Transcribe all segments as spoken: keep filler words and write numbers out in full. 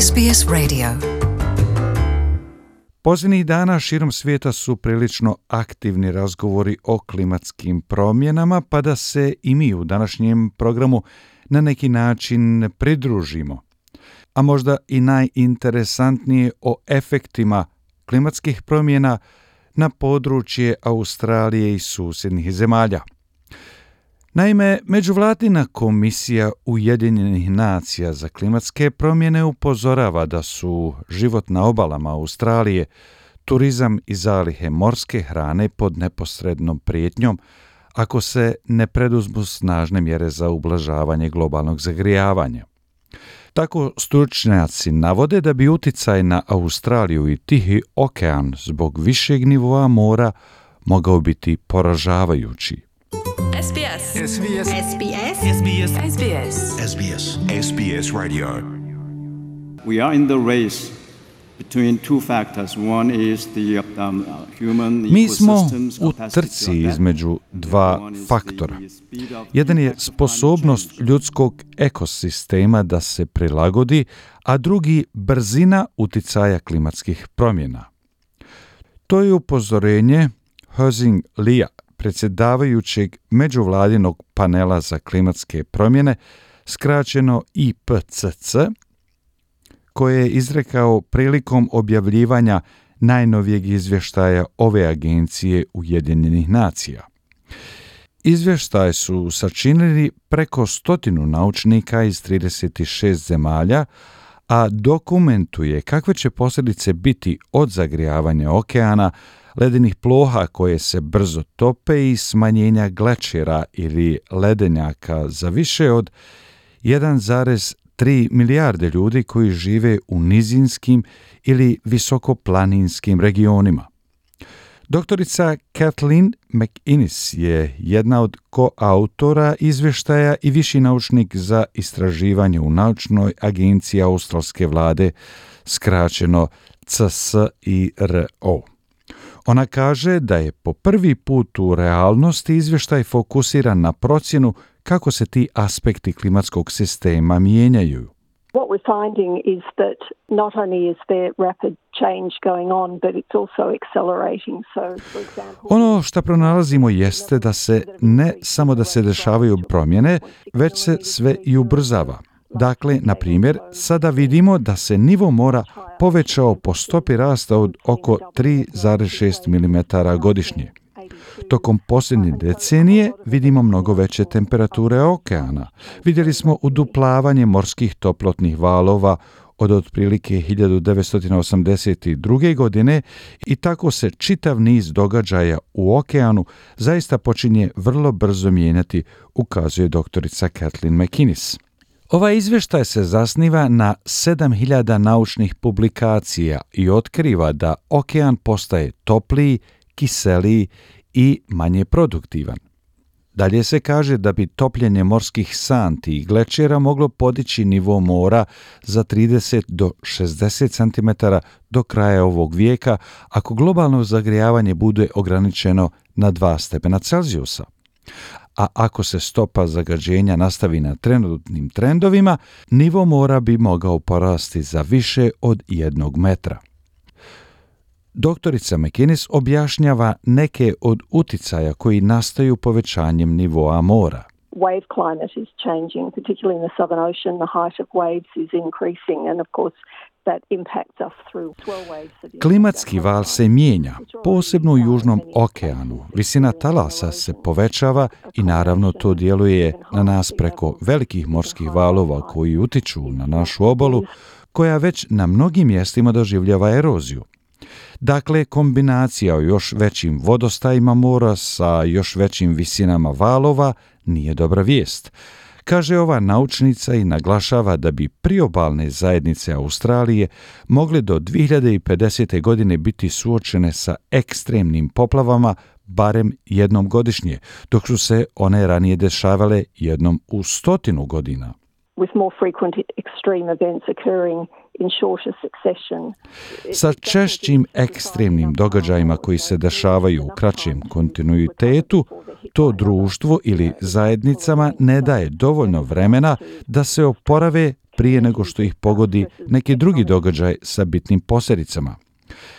S B S Radio. Posljednjih dana širom svijeta su prilično aktivni razgovori o klimatskim promjenama, pa da se i mi u današnjem programu na neki način pridružimo. A možda i najinteresantnije o efektima klimatskih promjena na područje Australije i susjednih zemalja. Naime, Međuvladina komisija Ujedinjenih nacija za klimatske promjene upozorava da su život na obalama Australije, turizam i zalihe morske hrane pod neposrednom prijetnjom ako se ne preduzmu snažne mjere za ublažavanje globalnog zagrijavanja. Tako stručnjaci navode da bi uticaj na Australiju i Tihi okean zbog višeg nivoa mora mogao biti poražavajući. S B S. S B S. S B S. S B S. S B S. S B S. S B S Radio. We are in the race between two factors. One is the um, human Mi smo ecosystems u capacity trci to adapt. između dva One is the faktora. speed of Jedan je impact of sposobnost climate change. ljudskog ekosistema da se prilagodi, a drugi brzina uticaja klimatskih promjena. To je upozorenje Hozing Lia, predsjedavajućeg međuvladinog panela za klimatske promjene, skraćeno I P C C, koje je izrekao prilikom objavljivanja najnovijeg izvještaja ove agencije Ujedinjenih nacija. Izvještaj su sačinili preko stotinu naučnika iz trideset šest zemalja, a dokumentuje kakve će posljedice biti od zagrijavanja okeana, ledenih ploha koje se brzo tope i smanjenja glečera ili ledenjaka za više od jedan zarez tri milijarde ljudi koji žive u nizinskim ili visokoplaninskim regionima. Doktorica Kathleen McInnes je jedna od koautora izvještaja i viši naučnik za istraživanje u naučnoj agenciji australske vlade, skraćeno C S I R O. Ona kaže da je po prvi put u realnosti izvještaj fokusiran na procjenu kako se ti aspekti klimatskog sistema mijenjaju. What we're finding is that not only is there rapid change going on, but it's also accelerating. So, for example, Ono što pronalazimo jeste da se ne samo da se dešavaju promjene, već se sve i ubrzava. Dakle, na primjer, sada vidimo da se nivo mora povećao po stopi rasta od oko tri zarez šest milimetara godišnje. Tokom posljednje decenije vidimo mnogo veće temperature okeana. Vidjeli smo uduplavanje morskih toplotnih valova od otprilike hiljadu devetsto osamdeset druge. godine i tako se čitav niz događaja u okeanu zaista počinje vrlo brzo mijenjati, ukazuje doktorica Kathleen McInnes. Ovaj izvještaj se zasniva na sedam hiljada naučnih publikacija i otkriva da okean postaje topliji, kiseliji i manje produktivan. Dalje se kaže da bi topljenje morskih santi i glečera moglo podići nivo mora za trideset do šezdeset centimetara do kraja ovog vijeka ako globalno zagrijavanje bude ograničeno na dva stepena Celzijusa. A ako se stopa zagađenja nastavi na trenutnim trendovima, nivo mora bi mogao porasti za više od jednog metra. Doktorica McInnes objašnjava neke od uticaja koji nastaju povećanjem nivoa mora. wave climate is changing, particularly in the Southern Ocean. The height of waves is increasing, and of course that impacts us through swell waves. Klimatski val se mijenja, posebno u Južnom okeanu. Visina talasa se povećava i naravno to djeluje na nas preko velikih morskih valova koji utiču na našu obalu, koja već na mnogim mjestima doživljava eroziju. Dakle, kombinacija o još većim vodostajima mora sa još većim visinama valova nije dobra vijest, kaže ova naučnica i naglašava da bi priobalne zajednice Australije mogle do dvije hiljade pedesete. godine biti suočene sa ekstremnim poplavama barem jednom godišnje, dok su se one ranije dešavale jednom u stotinu godina. With more frequent extreme events occurring in shorter succession. Sa češćim ekstremnim događajima koji se dešavaju u kraćem kontinuitetu, to društvo ili zajednicama ne daje dovoljno vremena da se oporave prije nego što ih pogodi neki drugi događaj sa bitnim posljedicama.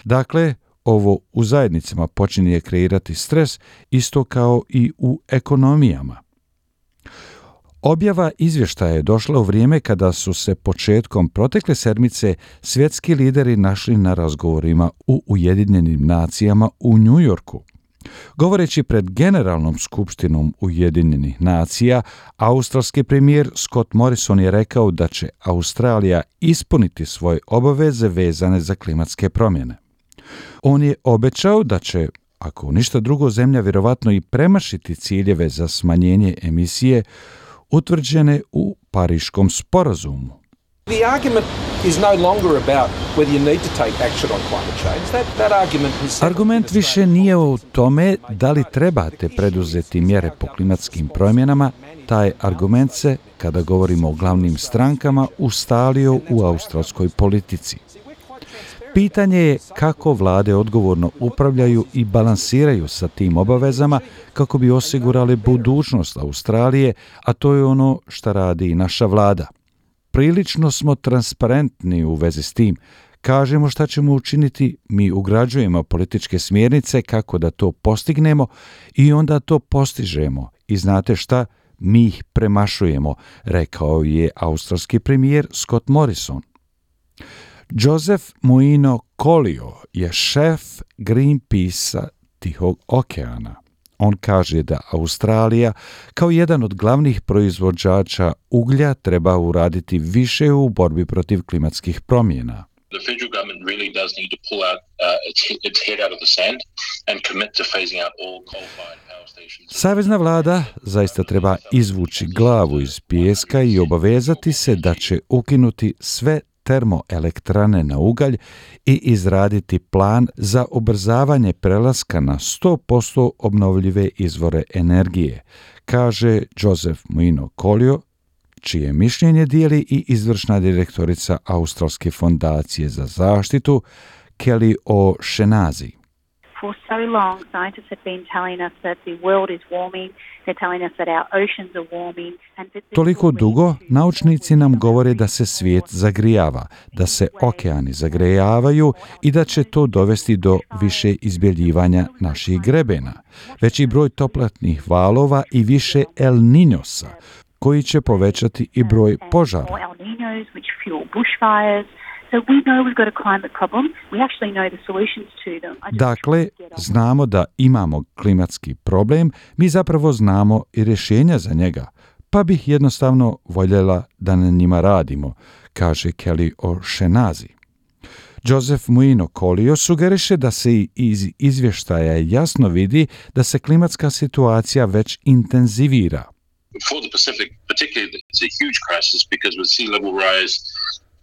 Dakle, ovo u zajednicama počinje kreirati stres isto kao i u ekonomijama. Objava izvještaja je došla u vrijeme kada su se početkom protekle sedmice svjetski lideri našli na razgovorima u Ujedinjenim nacijama u New Yorku. Govoreći pred Generalnom skupštinom Ujedinjenih nacija, australski premijer Scott Morrison je rekao da će Australija ispuniti svoje obaveze vezane za klimatske promjene. On je obećao da će, ako ništa drugo, zemlja vjerovatno i premašiti ciljeve za smanjenje emisije utvrđene u Pariškom sporazumu. The argument is no longer about whether you need to take action on climate change. That, that argument is... Argument više nije u tome da li trebate preduzeti mjere po klimatskim promjenama. Taj argument se, kada govorimo o glavnim strankama, ustalio u australskoj politici. Pitanje je kako vlade odgovorno upravljaju i balansiraju sa tim obavezama kako bi osigurali budućnost Australije, a to je ono što radi i naša vlada. Prilično smo transparentni u vezi s tim. Kažemo šta ćemo učiniti, mi ugrađujemo političke smjernice kako da to postignemo i onda to postižemo. I znate šta? Mi ih premašujemo, rekao je australski premijer Scott Morrison. Joseph Muino Colio je šef Greenpeace-a Tihog okeana. On kaže da Australija kao jedan od glavnih proizvođača uglja treba uraditi više u borbi protiv klimatskih promjena. The federal government really does need to pull out uh, its, its head out of the sand and commit to phasing out all coal-fired power stations. Savezna vlada zaista treba izvući glavu iz pijeska i obavezati se da će ukinuti sve termoelektrane na ugalj i izraditi plan za ubrzavanje prelaska na sto posto obnovljive izvore energije, kaže Joseph Muino Colio, čije mišljenje dijeli i izvršna direktorica Australske fondacije za zaštitu Kelly O'Shaughnessy. For so long, scientists have been telling us that the world is warming, they're telling us that our oceans are warming. And that Toliko dugo naučnici nam govore da se svijet zagrijava, da se okeani zagrejavaju i da će to dovesti do više izbjeljivanja naših grebena, veći broj toplatnih valova i više El Niñosa, koji će povećati i broj požara. El Niños, which fuel bushfires. So we know we've got a climate problem. We actually know the solutions to them. Dakle, znamo da imamo klimatski problem, mi zapravo znamo i rješenja za njega, pa bih jednostavno voljela da na njima radimo, kaže Kelly O'Shaughnessy. Joseph Muino Colio sugeriše da se iz izvještaja jasno vidi da se klimatska situacija već intenzivira. For the Pacific, particularly, it's a huge crisis because with sea level rise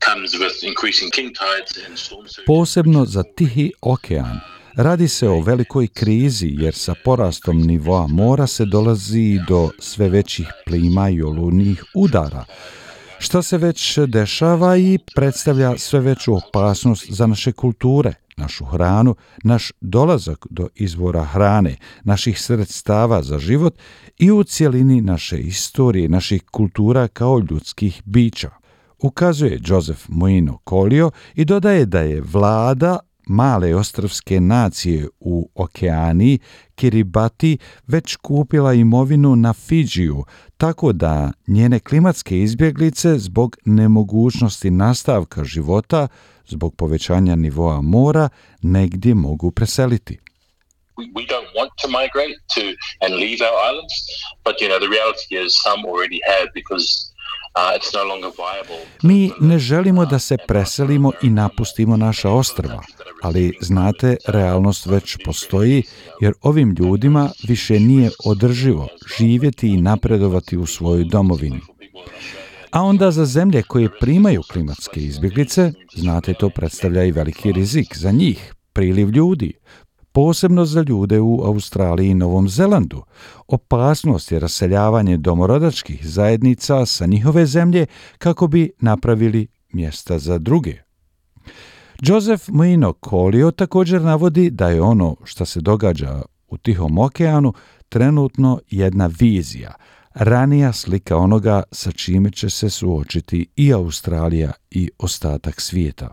comes with increasing king tides and storm surges. Posebno za Tihi okean. Radi se o velikoj krizi jer sa porastom nivoa mora se dolazi do sve većih plima i olujnih udara, što se već dešava i predstavlja sve veću opasnost za naše kulture, našu hranu, naš dolazak do izvora hrane, naših sredstava za život i u cjelini naše istorije, naših kultura kao ljudskih bića, ukazuje Joseph Muino Colio i dodaje da je vlada male ostrvske nacije u Okeaniji, Kiribati, već kupila imovinu na Fidžiju, tako da njene klimatske izbjeglice zbog nemogućnosti nastavka života, zbog povećanja nivoa mora, negdje mogu preseliti. We don't want to migrate to and leave our islands, but you know the reality is some already have because uh, it's no longer viable. Mi ne želimo da se preselimo i napustimo naša ostrva, ali znate, realnost već postoji jer ovim ljudima više nije održivo živjeti i napredovati u svojoj domovini. A onda za zemlje koje primaju klimatske izbjeglice, znate, to predstavlja i veliki rizik za njih, priliv ljudi, posebno za ljude u Australiji i Novom Zelandu. Opasnost je raseljavanje domorodačkih zajednica sa njihove zemlje kako bi napravili mjesta za druge. Joseph Muino Colio također navodi da je ono što se događa u Tihom okeanu trenutno jedna vizija, ranija slika onoga sa čime će se suočiti i Australija i ostatak svijeta.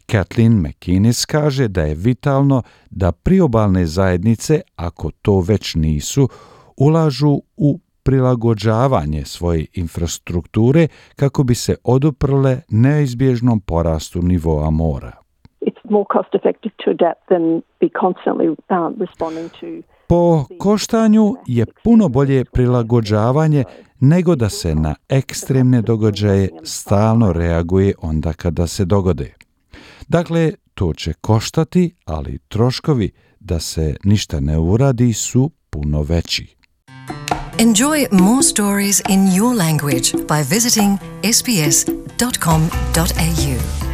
Kathleen McInnes kaže da je vitalno da priobalne zajednice, ako to već nisu, ulažu u prilagođavanje svoje infrastrukture kako bi se oduprle neizbježnom porastu nivoa mora. It's more cost effective to adapt than be constantly um, responding to. Po koštanju je puno bolje prilagođavanje nego da se na ekstremne događaje stalno reaguje onda kada se dogode. Dakle, to će koštati, ali troškovi da se ništa ne uradi su puno veći. Enjoy more stories in your language by visiting s b s dot com dot a u.